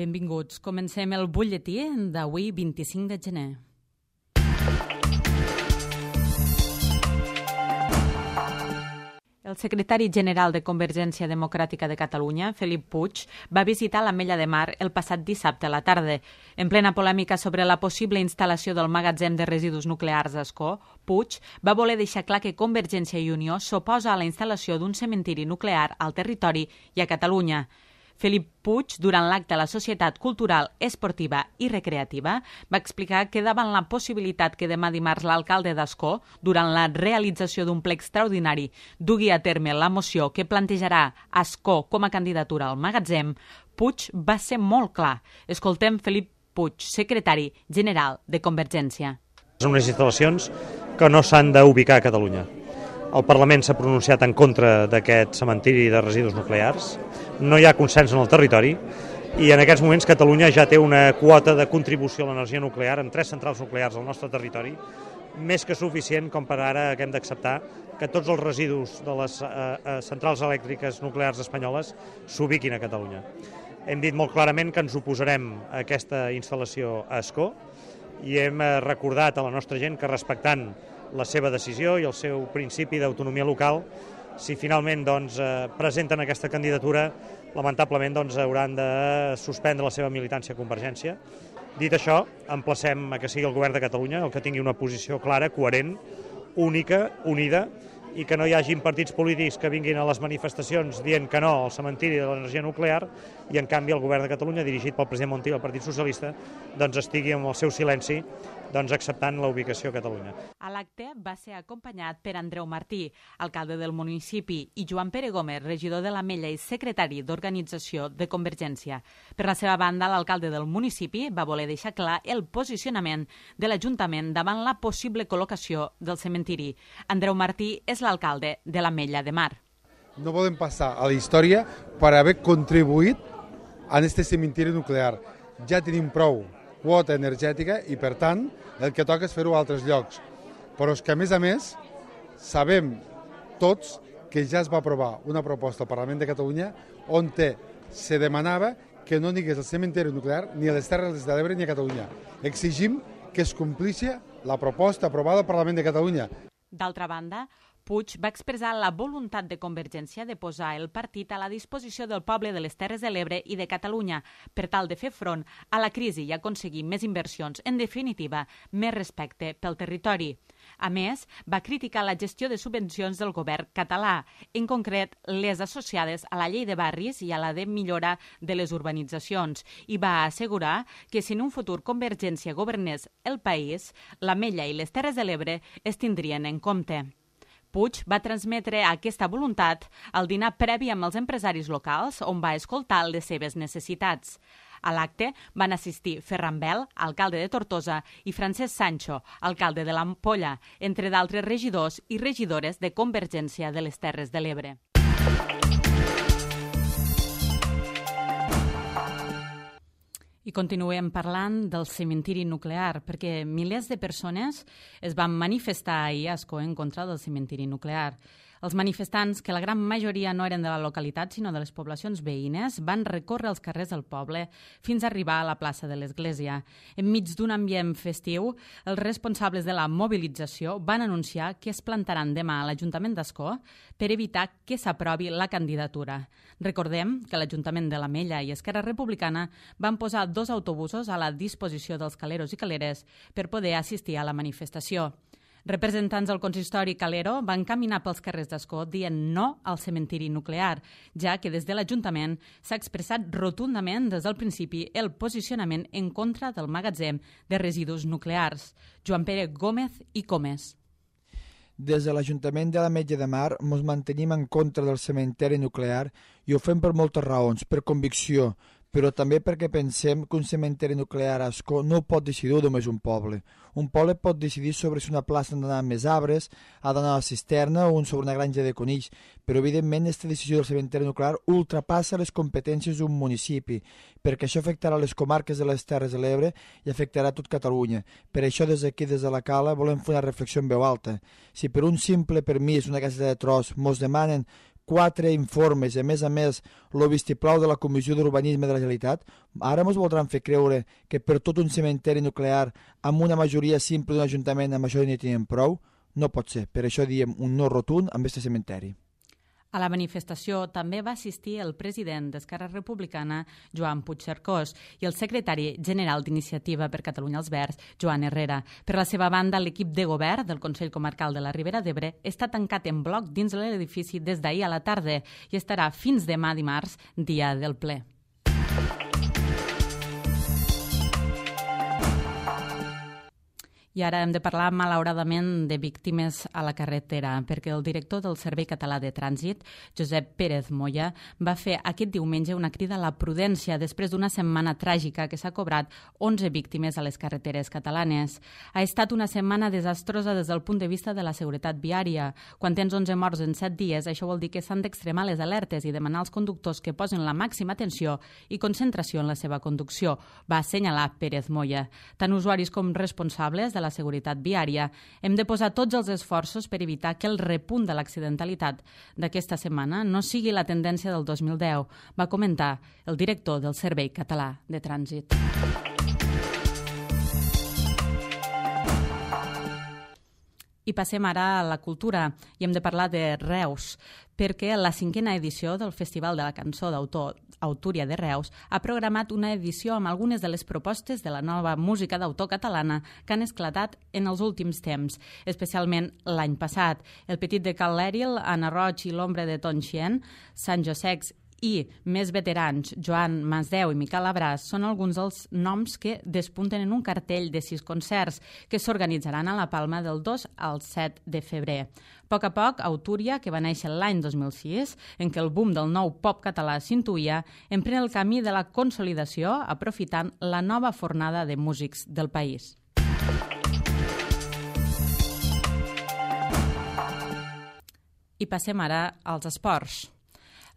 Benvinguts. Comencem el butlletí d'avui, 25 de gener. El secretari general de Convergència Democràtica de Catalunya, Felip Puig, va visitar l'Ametlla de Mar el passat dissabte a la tarda. En plena polèmica sobre la possible instal·lació del magatzem de residus nuclears d'Ascó, Puig va voler deixar clar que Convergència i Unió s'oposa a la instal·lació d'un cementiri nuclear al territori i a Catalunya. Felip Puig, durant l'acte a la Societat Cultural, Esportiva i Recreativa, va explicar que davant la possibilitat que demà dimarts l'alcalde d'Ascó, durant la realització d'un ple extraordinari, dugui a terme la moció que plantejarà Ascó com a candidatura al magatzem, Puig va ser molt clar. Escoltem Felip Puig, secretari general de Convergència. Són unes instal·lacions que no s'han d'ubicar a Catalunya. El Parlament s'ha pronunciat en contra d'aquest cementiri de residus nuclears. No hi ha consens en el territori i en aquests moments Catalunya ja té una quota de contribució a l'energia nuclear amb 3 centrals nuclears al nostre territori, més que suficient com per ara que hem d'acceptar que tots els residus de les centrals elèctriques nuclears espanyoles s'ubiquin a Catalunya. Hem dit molt clarament que ens oposarem a aquesta instal·lació a Ascó i hem recordat a la nostra gent que respectant la seva decisió i el seu principi d'autonomia local, si finalment presenten aquesta candidatura, lamentablement hauran de suspendre la seva militància a Convergència. Dit això, emplacem a que sigui el govern de Catalunya el que tingui una posició clara, coherent, única, unida, i que no hi hagin partits polítics que vinguin a les manifestacions dient que no al cementiri de l'energia nuclear i en canvi el govern de Catalunya, dirigit pel president Montilla, el Partit Socialista, estigui amb el seu silenci acceptant la ubicació a Catalunya. A l'acte va ser acompanyat per Andreu Martí, alcalde del municipi, i Joan Pere Gómez, regidor de l'Ametlla i secretari d'Organització de Convergència. Per la seva banda, l'alcalde del municipi va voler deixar clar el posicionament de l'Ajuntament davant la possible col·locació del cementiri. Andreu Martí és l'alcalde de l'Ametlla de Mar. No podem passar a la història per haver contribuït a aquest cementiri nuclear. Ja tenim prou quota energètica i, per tant, el que toca és fer-ho a altres llocs. Però és que, a més, sabem tots que ja es va aprovar una proposta al Parlament de Catalunya on se demanava que no n'hi hagués el cementiri nuclear ni a les Terres de l'Ebre ni a Catalunya. Exigim que es complixi la proposta aprovada al Parlament de Catalunya. D'altra banda, Puig va expressar la voluntat de Convergència de posar el partit a la disposició del poble de les Terres de l'Ebre i de Catalunya per tal de fer front a la crisi i aconseguir més inversions, en definitiva, més respecte pel territori. A més, va criticar la gestió de subvencions del govern català, en concret les associades a la llei de barris i a la de millora de les urbanitzacions, i va assegurar que si en un futur Convergència governés el país, l'Ametlla i les Terres de l'Ebre es tindrien en compte. Puig va transmetre aquesta voluntat al dinar previ amb els empresaris locals, on va escoltar les seves necessitats. A l'acte van assistir Ferran Bel, alcalde de Tortosa, i Francesc Sancho, alcalde de l'Ampolla, entre d'altres regidors i regidores de Convergència de les Terres de l'Ebre. I continuem parlant del cementiri nuclear, perquè milers de persones es van manifestar ahir a Ascó en contra del cementiri nuclear. Els manifestants, que la gran majoria no eren de la localitat, sinó de les poblacions veïnes, van recórrer els carrers del poble fins a arribar a la plaça de l'Església. Enmig d'un ambient festiu, els responsables de la mobilització van anunciar que es plantaran demà a l'Ajuntament d'Ascó per evitar que s'aprovi la candidatura. Recordem que l'Ajuntament de l'Ametlla i Esquerra Republicana van posar 2 autobusos a la disposició dels caleros i caleres per poder assistir a la manifestació. Representants del consistori calero van caminar pels carrers d'Ascó dient no al cementiri nuclear, ja que des de l'Ajuntament s'ha expressat rotundament des del principi el posicionament en contra del magatzem de residus nuclears. Joan Pere Gómez i Comes. Des de l'Ajuntament de l'Ametlla de Mar ens mantenim en contra del cementiri nuclear i ho fem per moltes raons, per convicció, però també perquè pensem que un cementiri nuclear a Ascó no ho pot decidir només un poble. Un poble pot decidir sobre si una plaça ha d'anar amb més arbres, ha d'anar a la cisterna o sobre una granja de conills, però evidentment aquesta decisió del cementiri nuclear ultrapassa les competències d'un municipi, perquè això afectarà les comarques de les Terres de l'Ebre i afectarà tot Catalunya. Per això des d'aquí, des de la Cala, volem fer una reflexió en veu alta. Si per un simple permís, una casa de tros, mos demanen 4 informes i, a més, el vistiplau de la Comissió d'Urbanisme de la Generalitat, ara ens voldran fer creure que per tot un cementeri nuclear amb una majoria simple d'un ajuntament amb això n'hi tenen prou? No pot ser. Per això diem un no rotund amb aquest cementeri. A la manifestació també va assistir el president d'Esquerra Republicana, Joan Puigcercós, i el secretari general d'Iniciativa per Catalunya als Verds, Joan Herrera. Per la seva banda, l'equip de govern del Consell Comarcal de la Ribera d'Ebre està tancat en bloc dins l'edifici des d'ahir a la tarda i estarà fins demà dimarts, dia del ple. I ara hem de parlar, malauradament, de víctimes a la carretera, perquè el director del Servei Català de Trànsit, Josep Pérez Moya, va fer aquest diumenge una crida a la prudència després d'una setmana tràgica que s'ha cobrat 11 víctimes a les carreteres catalanes. Ha estat una setmana desastrosa des del punt de vista de la seguretat viària. Quan tens 11 morts en 7 dies, això vol dir que s'han d'extremar les alertes i demanar als conductors que posin la màxima atenció i concentració en la seva conducció, va assenyalar Pérez Moya. Tant usuaris com responsables de la seguretat viària, hem de posar tots els esforços per evitar que el repunt de l'accidentalitat d'aquesta setmana no sigui la tendència del 2010, va comentar el director del Servei Català de Trànsit. I passem ara a la cultura i hem de parlar de Reus, perquè la 5a edició del Festival de la Cançó d'Autor Autúria de Reus ha programat una edició amb algunes de les propostes de la nova música d'autor catalana que han esclatat en els últims temps, especialment l'any passat. El Petit de Cal Lèril, Anna Roig i l'Ombra de Tonxien, Sant Josecs i més veterans, Joan Masdeu i Miquel Abràs, són alguns dels noms que despunten en un cartell de 6 concerts que s'organitzaran a la Palma del 2 al 7 de febrer. A poc, Autúria, que va néixer l'any 2006, en què el boom del nou pop català s'intuïa, emprèn el camí de la consolidació aprofitant la nova fornada de músics del país. I passem ara als esports.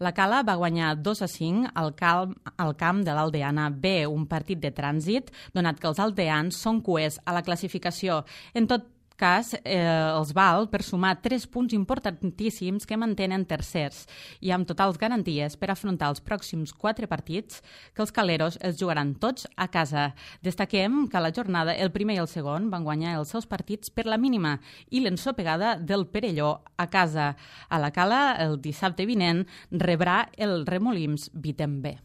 La Cala va guanyar 2-5 al camp de l'Aldeana B, un partit de trànsit, donat que els aldeans són cuers a la classificació. En tot cas, els val per sumar 3 punts importantíssims que mantenen tercers i amb totals garanties per afrontar els pròxims 4 partits que els caleros els jugaran tots a casa. Destaquem que a la jornada el primer i el segon van guanyar els seus partits per la mínima i l'ensopegada del Perelló a casa. A la Cala, el dissabte vinent, rebrà el Remolims Vitem B.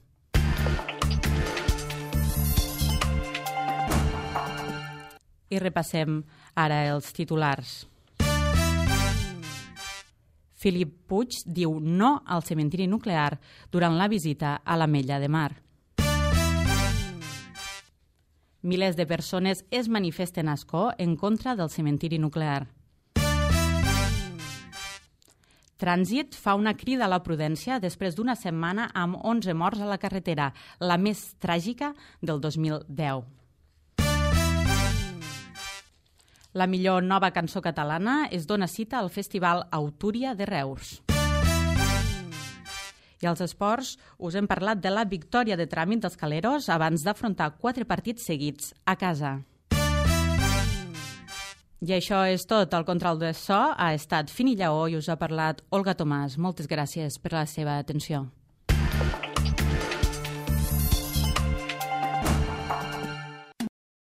I repassem ara els titulars. Felip Puig diu no al cementiri nuclear durant la visita a l'Ametlla de Mar. Milers de persones es manifesten a Ascó en contra del cementiri nuclear. Trànsit fa una crida a la prudència després d'una setmana amb 11 morts a la carretera, la més tràgica del 2010. La millor nova cançó catalana es dona cita al Festival Autúria de Reus. I als esports us hem parlat de la victòria de tràmit dels caleros abans d'afrontar 4 partits seguits a casa. I això és tot. El control de so ha estat Fini Lleó i us ha parlat Olga Tomàs. Moltes gràcies per la seva atenció.